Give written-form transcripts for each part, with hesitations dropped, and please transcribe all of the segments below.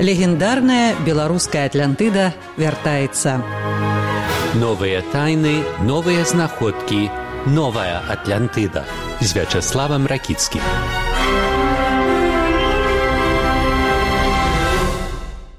Легендарная беларуская Атлантыда вяртаецца. Новыя тайны, новыя знаходкі, новая Атлантыда з Вячеславам Ракіцкім.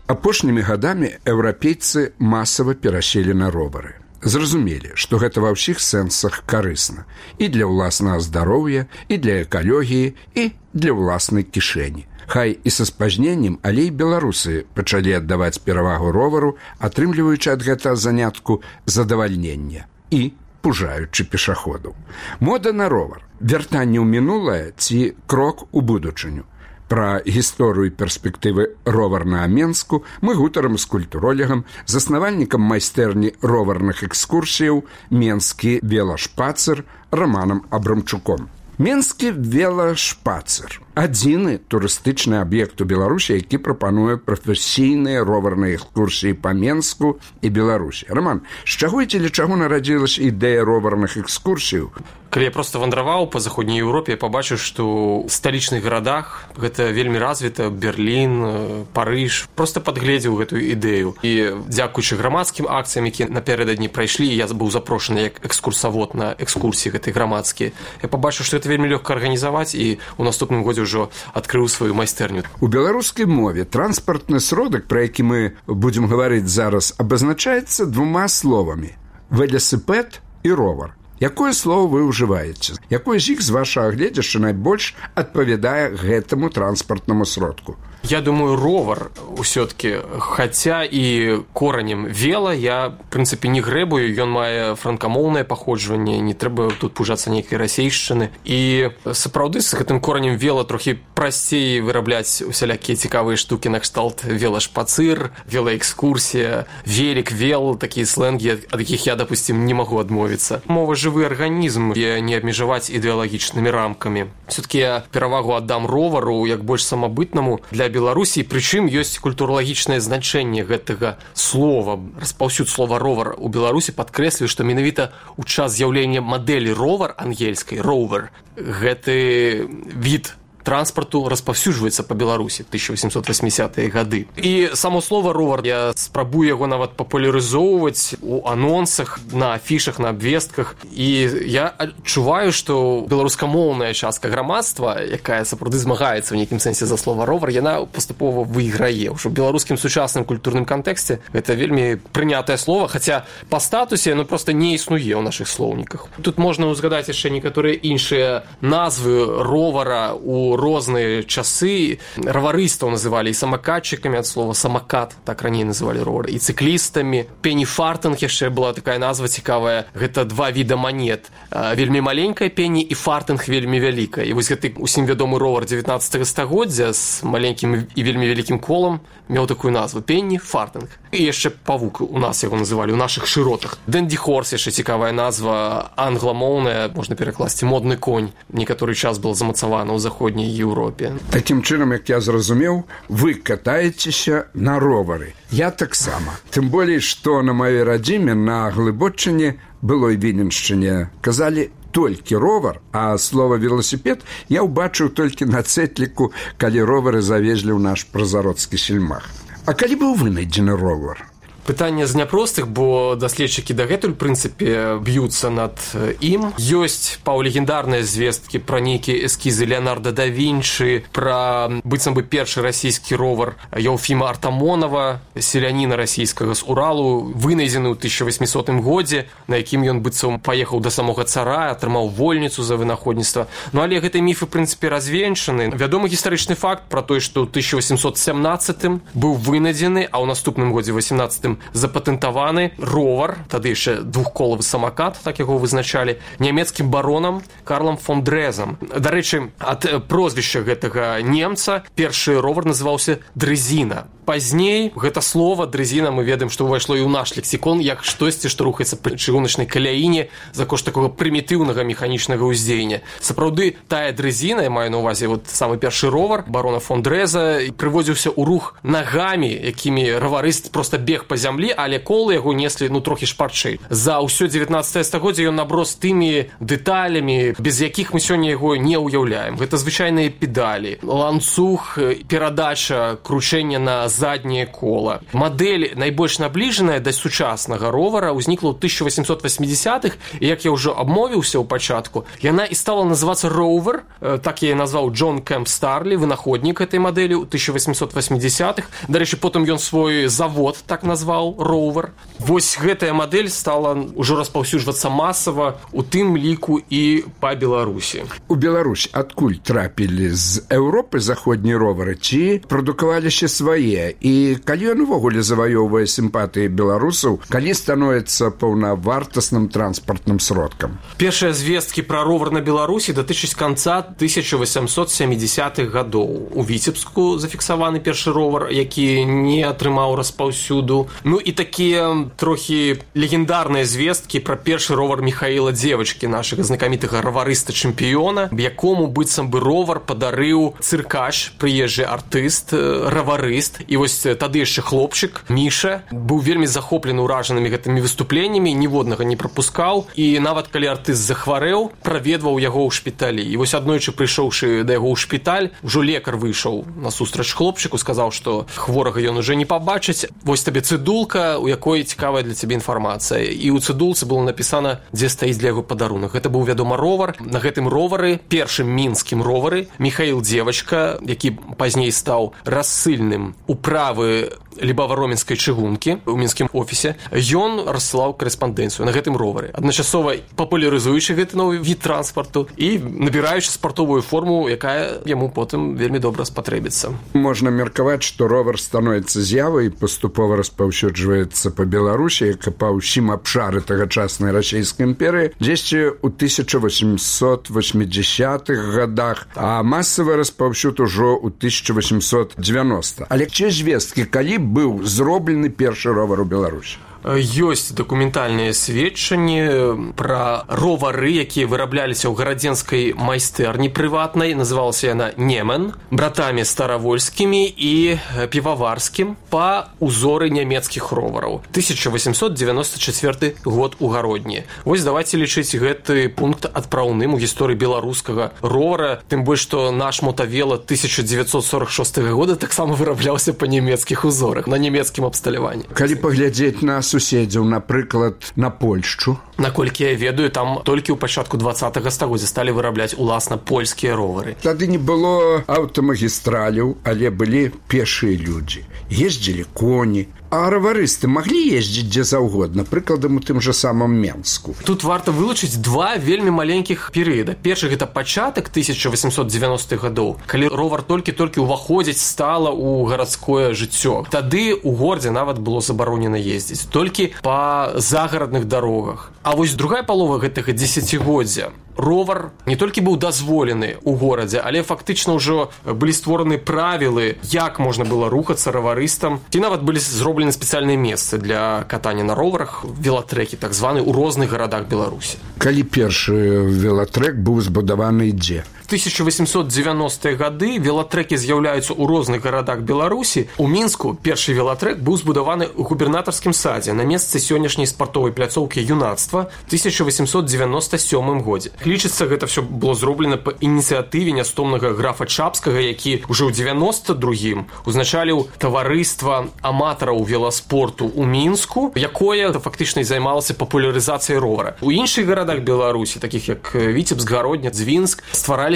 Апошнімі гадамі еўрапейцы масава пераселі на ровары. Зразумелі, што гэта ва ўсіх сэнсах карысна і для ўласнага здароўя, і для экалогіі, і для ўласнай кішэні. Хай і са спазненнем, але і беларусы пачалі аддаваць перавагу ровару, атрымліваючы ад гэтага занятку задавальнення і пужаючы пешаходаў. Мода на ровар, вяртанне ў мінулае ці крок у будучыню. Пра гісторыю і перспектывы роварнага Менску мы гутарым з культуролегам, заснавальнікам майстэрні роварных экскурсіяў «Менскі велашпацыр» Романам Абрамчуком. Менскі велашпацыр – адзіны турыстычны аб'ект у Беларусі, які прапануе прафесійныя роварныя экскурсіі па Менску і Беларусі. Роман, з чаго і дзеля чаго нарадзілася ідэя роварных экскурсіяў? Калі я проста вандраваў па заходняй Еўропе, я пабачыў, што ў сталічных гарадах гэта вельмі развіта, Берлін, Парыж, проста падгледзеў гэтую ідэю. І дзякуючы грамадскім акцыям, якія напярэдадні прайшлі, я быў запрошаны як экскурсавод на экскурсіі гэтай грамадскія. Я пабачыў, што гэта вельмі лёгка арганізаваць, і ў наступным годзе ўжо адкрыў сваю майстэрню. У беларускай мове транспартны сродак, пра які мы будзем гаварыць зараз, абазначаецца двума словамі – веласипед і ровар. Якое слово вы ўжываеце? Якое з іх, з вашага гледзяшча, найбольш адпавядае гэтаму транспартнаму сродку? Я думаю, ровар усё-таки, хаця і коранем вела, я, в прынцыпе, не грэбую, ён мае франкамоўнае паходжванне, не трэба тут пужацца нейкай расейшчыны. І сапраўды з гэтым коранем вела трохі прасцей вырабляць усялякія цікавыя штукі накшталт велашпацыр, велаэкскурсія, велик, вел, такія слэнгі, ад якіх я, допустим, не магу адмовіцца. Мова жывы арганізм, і не абмежаваць ідэалагічнымі рамкамі. Все-таки я перавагу аддам ровару як больш самабытнаму для Беларусі, прычым ёсць культуралагічнае значэнне гэтага слова. Распаўсюд слова ровар у Беларусі падкрэслівае, што менавіта ў час з'яўлення мадэлі ровар ангельскай, роувер, гэты від транспарту распаўсюджваецца па Беларусі 1880-е гады. І само слово ровар, я спрабую яго нават папулярызоўваць у анонсах, на афішах, на абвестках. І я адчуваю, што беларускамоўная частка грамадства, якая сапраўды змагаецца ў нейкім сэнсе за слова ровар, яна паступова выйграе. Ужо ў беларускім сучасным культурным кантэксце гэта вельмі прынятае слово, хаця па статусе яно проста не існуе ў нашых слоўніках. Тут можна узгадаць яшчэ некаторыя іншыя назвы ровара у розныя часы. Раварыстаў называлі і самакатчыкамі, ад слова самакат, так раней называлі ровар, і цыклістамі. Пені-фартынг яшчэ была такая назва цікавая. Гэта два віда манет. Вельмі маленькая пені і фартынг вельмі вялікая. І вось гэты усім вядомы ровар 19 стагоддзя з маленькім і вельмі вялікім колам меў такую назву пені-фартынг. І яшчэ павук у нас яго называлі, у нашых шыротах. Дэнді-хорс яшчэ цікавая назва, англамоўная, можна перакласці модны конь. Некаторы час была замацавана ў заходняй Еўропе. Такім чынам, як я зразумеў, вы катаецеся на ровары. Я таксама. Тым болей, што на маёй радзіме на Глыбоччыне, былой Віленшчыне, казалі толькі ровар, а слова веласіпед я ўбачыў толькі на цэтліку, калі ровары завезлі ў наш прозародскі сельмах. А калі быў вынайдзены ровар? Пытанне з няпростых, бо даследчыкі дагэтуль, прынцыпе, б'юцца над ім. Ёсць паўлегендарныя звесткі пра нейкія эскізы Леонардо да Вінчы, пра быццам бы першы расійскі ровар Еўфіма Артамонова, селяніна расійскага з Уралу, вынайдзены ў 1800 годзе, на якім ён быццам паехаў да самога цара, атрымаў вольніцу за вынаходніцтва. Ну, але гэтыя міфы, прынцыпе, развенчаны. Вядомы гістарычны факт пра тое, што ў 1817 быў вынайдзены, а ў наступным годзе 18 запатэнтаваны ровар, тады яшчэ двухколавы самакат, так яго вызначалі, нямецкім баронам Карлам фон Дрезам. Дарэчы, ад прозвішча гэтага немца першы ровар называўся дрезіна. Пазней гэта слова дрезіна мы ведаем, што ўвайшло і ў наш лексікон як штосьці, што рухаецца пры чыгуначнай каляіне за кошт такога прымітыўнага механічнага ўздзеяння. Сапраўды, тая дрезіна, я маю на ўвазе вот самы першы ровар барона фон Дреза, прыводзіўся ў рух нагамі, якімі раварыст проста бег па зямлі, але колы яго неслі трохі шпарчэй. За ўсё 19 стагоддзе ён наброс тымі дэталямі, без якіх мы сёння яго не ўяўляем. Гэта звычайныя педалі, ланцуг, перадача кручэння на задняе кола. Мадэль найбольш набліжаная да сучаснага ровара ўзнікла ў 1880-х, і як я ўжо абмовіўся ў пачатку, яна і стала называцца Rover, так я назваў Джон Кэмп Старлі, вынаходнік этой мадэлі ў 1880-х. Дарэчы, потым ён свой завод так назваў Rover. Вось гэтая мадэль стала ўжо распаўсюджвацца масава, у тым ліку і па Беларусі. У Беларусь адкуль трапілі з Еўропы заходнія ровары, ці прадукаваліся свае? І калі ён увогуле заваёўвае сімпатыі беларусаў, калі становіцца паўнавартасным транспартным сродкам? Першыя звесткі пра ровар на Беларусі датычаць канца 1870-х гадоў. У Віцебску зафіксаваны першы ровар, які не атрымаў распаўсюду. І такія трохі легендарныя звесткі пра першы ровар Михаіла Дзевачкі, нашага знакамітага раварыста-чэмпіёна, якому быццам бы ровар падарыў цыркач, прыезджы артыст, раварыст. І вось тады яшчэ хлопчык Міша быў вельмі захоплены ўражанымі гэтымі выступленнямі, ніводнага не прапускаў, і нават калі артыст захварэў, праведваў яго ў шпіталі. І вось аднойчы, прыйшоўшы да яго ў шпіталь, ужо лекар выйшаў насустрач хлопчыку, сказаў, што хворага ён уже не пабачыць. Вось табе цыдулка, у якой цікавая для цябе інфармацыя. І ў цыдулцы было напісана, дзе стаіць для яго падарунак. Гэта быў, вядома, ровар. На гэтым ровары, першым мінскім ровары, Михаіл Дзевачка, які пазней стаў рассыльным управы Лібава-Роменскай чыгункі ў мінскім офісе, ён рассылаў корэспандэнцыю на гэтым ровары, адначасова папулярызуючы гэты новы від транспарту і набіраючы спартовую форму, якая яму потым вельмі добра спатрэбіцца. Можна меркаваць, што ровар становіцца з'явай і паступова распаўсюджваецца па Беларусі, як і па ўсім абшары тагачаснай расійскай імперыі, дзесьці ў 1880-х гадах, а масавы распаўсюд ужо ў 1890. Але ці звесткі, калі быў зроблены першы ровар у Беларусі? Ёсць дакументальныя сведчанні пра ровары, якія вырабляліся ў гарадзенскай майстэрні прыватнай, называлася яна Немен, братамі Старавольскімі і Піваварскім па узоры нямецкіх ровараў. 1894 год у Гародні. Вось давайце лічыць гэты пункт адпраўным у гісторыі беларускага ровара, тым больш, што наш мотавела 1946 года таксама вырабляўся па нямецкіх узорах, на нямецкім абсталяванні. Калі паглядзець на суседзяў, напрыклад, на Польшчу. Наколькі я ведаю, там толькі ў пачатку 20-го стагоддзя сталі вырабляць уласна польскія ровары. Тады не было аўтамагістраляў, але былі пешыя людзі. Ездзілі коні. А раварысты маглі ездзіць дзе заўгодна, прыкладам у тым жа самым Менску. Тут варта вылучыць два вельмі маленькіх перыяда. Першы гэта пачатак 1890-х гадоў, калі ровар толькі-толькі ўваходзіць стала ў гарадское жыццё. Тады ў горадзе нават было забаронена ездзіць толькі па загарадных дарогах. А вось другая палова гэтага дзесяцігоддзя ровар не толькі быў дазволены ў горадзе, але фактычна ўжо былі створаны правілы, як можна было рухацца раварыстам, ці нават былі зроблены спецыяльныя месцы для катання на роварах, велатрэкі так званы ў розных гарадах Беларусі. Калі першы велатрэк быў збудаваны дзе? 1890-е гады велатрэкі з'яўляюцца ў розных гарадах Беларусі. У Мінску першы велатрэк быў збудаваны ў губернатарскім садзе на месцы сённяшняй спартовай пляцоўкі юнацтва в 1897 годзе. Лічыцца, гэта все было зроблена па ініцыятыве нястомнага графа Чапскага, які ўжо ў 92-м узначаліў таварыства аматараў веласпорту ў Мінску, якое фактычна і займалася папулярызацыяй ровара. У іншых гарадах Беларусі, такіх як Віцебск, Гародня, Дзвінск, ствараліся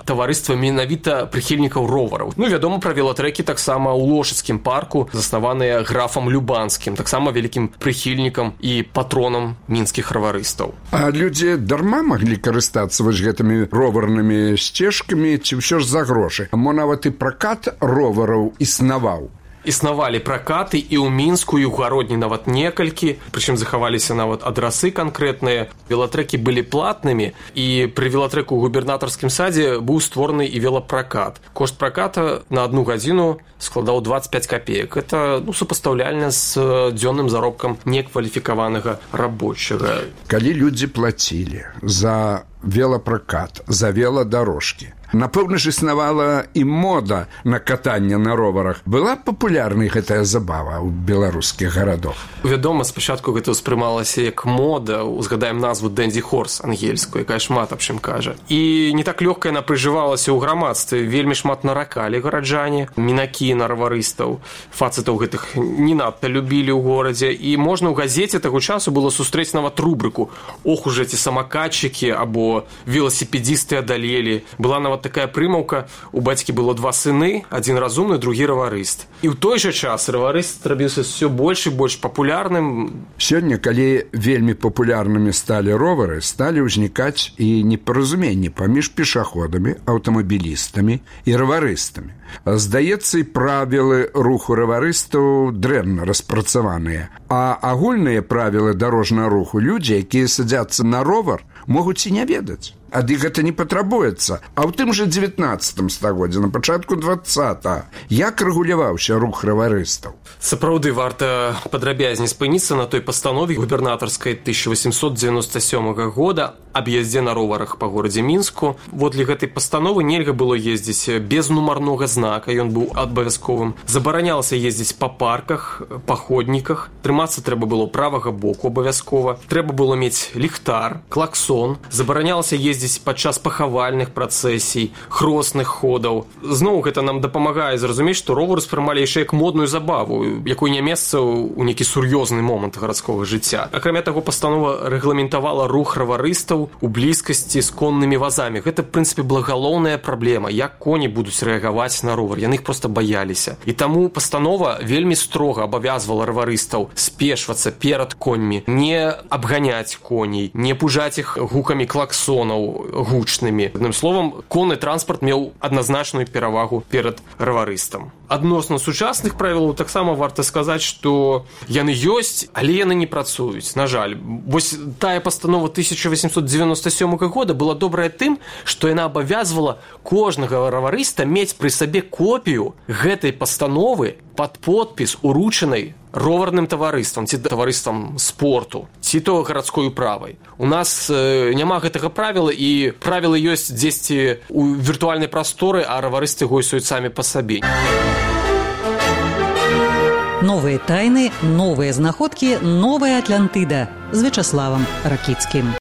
таварыства менавіта прыхільнікаў ровараў. Вядома пра велатрэкі таксама ў Лошыцкім парку, заснаваныя графам Любанскім, таксама вялікім прыхільнікам і патронам мінскіх раварыстаў. А людзі дарма маглі карыстацца вось гэтымі роварнымі сцежкамі, ці ўсё ж за грошы? Мо нават і пракат ровараў існаваў? Існавалі пракаты і ў Мінску, і ў Гародні нават некалькі, прычым захаваліся нават адрасы канкрэтныя. Велатрэкі былі платнымі, і пры велатрэку ў губернатарскім садзе быў створаны і велапракат. Кошт праката на 1 гадзіну складаў 25 копеек. Это супастаўляльна з дзённым заробкам некваліфікаванага рабочага. Калі людзі плацілі за велапракат, за веладарожкі. Напэўна ж існавала і мода на катанне на роварах. Была папулярнай гэтая забава ў беларускіх гарадах? Вядома, спачатку гэта ўспрымалася як мода. Узгадаем назву «Дэнді Хорс» ангельскую, якая шмат аб чым кажа. І не так лёгка яна прыжывалася ў грамадстве. Вельмі шмат наракалі гараджане, мінакі на раварыстаў. Фацытаў гэтых не надта любілі ў горадзе. І можна ў газеце таго часу было сустрэць нават рубрыку «Ох уж эти самакатчыкі» або «Велосипедисты адалелі». Была нават такая прымаўка, у бацькі было 2 сыны, адзін разумны, другі раварыст. І ў той жа час раварыст рабіўся ўсё больш і больш папулярным. Сёння, калі вельмі папулярнымі сталі ровары, сталі ўзнікаць і непаразуменні паміж пешаходамі, аўтамабілістамі і раварыстамі. Здаецца, і правілы руху раварыстаў дрэнна распрацаваныя, а агульныя правілы дарожнага руху людзі, якія садзяцца на ровар, могуць і не ведаць. Ад іх гэта не патрабуецца. А ў тым жа 19 стагоддзі, на пачатку 20-го, як рэгуляваўся рух раварыстаў? Сапраўды, варта падрабязней спыніцца на той пастанове губернатарскай 1897 года аб ездзе на роварах па горадзе Мінску. Водле гэтай пастановы нельга было ездзіць без нумарнога знака, ён быў абавязковым. Забаранялася ездзіць па парках, па ходніках. Трымацца трэба было правага боку абавязкова. Трэба было мець ліхтар, клаксон. Забаранялася ездзіць падчас пахавальных працэсій, хросных ходаў. Зноў гэта нам дапамагае зразумець, што ровар успрымалі яшчэ як модную забаву, якой не месца ў нейкі сур'ёзны момант гарадскога жыцця. Акрамя таго, пастанова рэгламентавала рух раварыстаў у блізкасці з коннымі вазамі. Гэта, в прынцыпе, была галоўная праблема, як коні будуць рэагаваць на ровар. Яны іх проста баяліся. І таму пастанова вельмі строга абавязвала раварыстаў спешвацца перад коньмі, не абганяць коней, не пужаць іх гукамі клаксонаў гучнымі. Адным словам, конны транспарт меў адназначную перавагу перад раварыстам. Адносна сучасных правілаў таксама варта сказаць, што яны ёсць, але яны не працуюць, на жаль. Вось тая пастанова 1897 года была добрая тым, што яна абавязвала кожнага раварыста мець пры сабе копію гэтай пастановы пад подпіс, уручанай роварным таварыствам, ці таварыствам спорту, ці то гарадской управай. У нас няма гэтага правіла, і правілы ёсць дзесьці ў віртуальнай прасторы, а раварысты гойсуюць самі па сабе. Новыя тайны, новыя знаходкі, новая Атлантыда з Вячаславам Ракіцкім.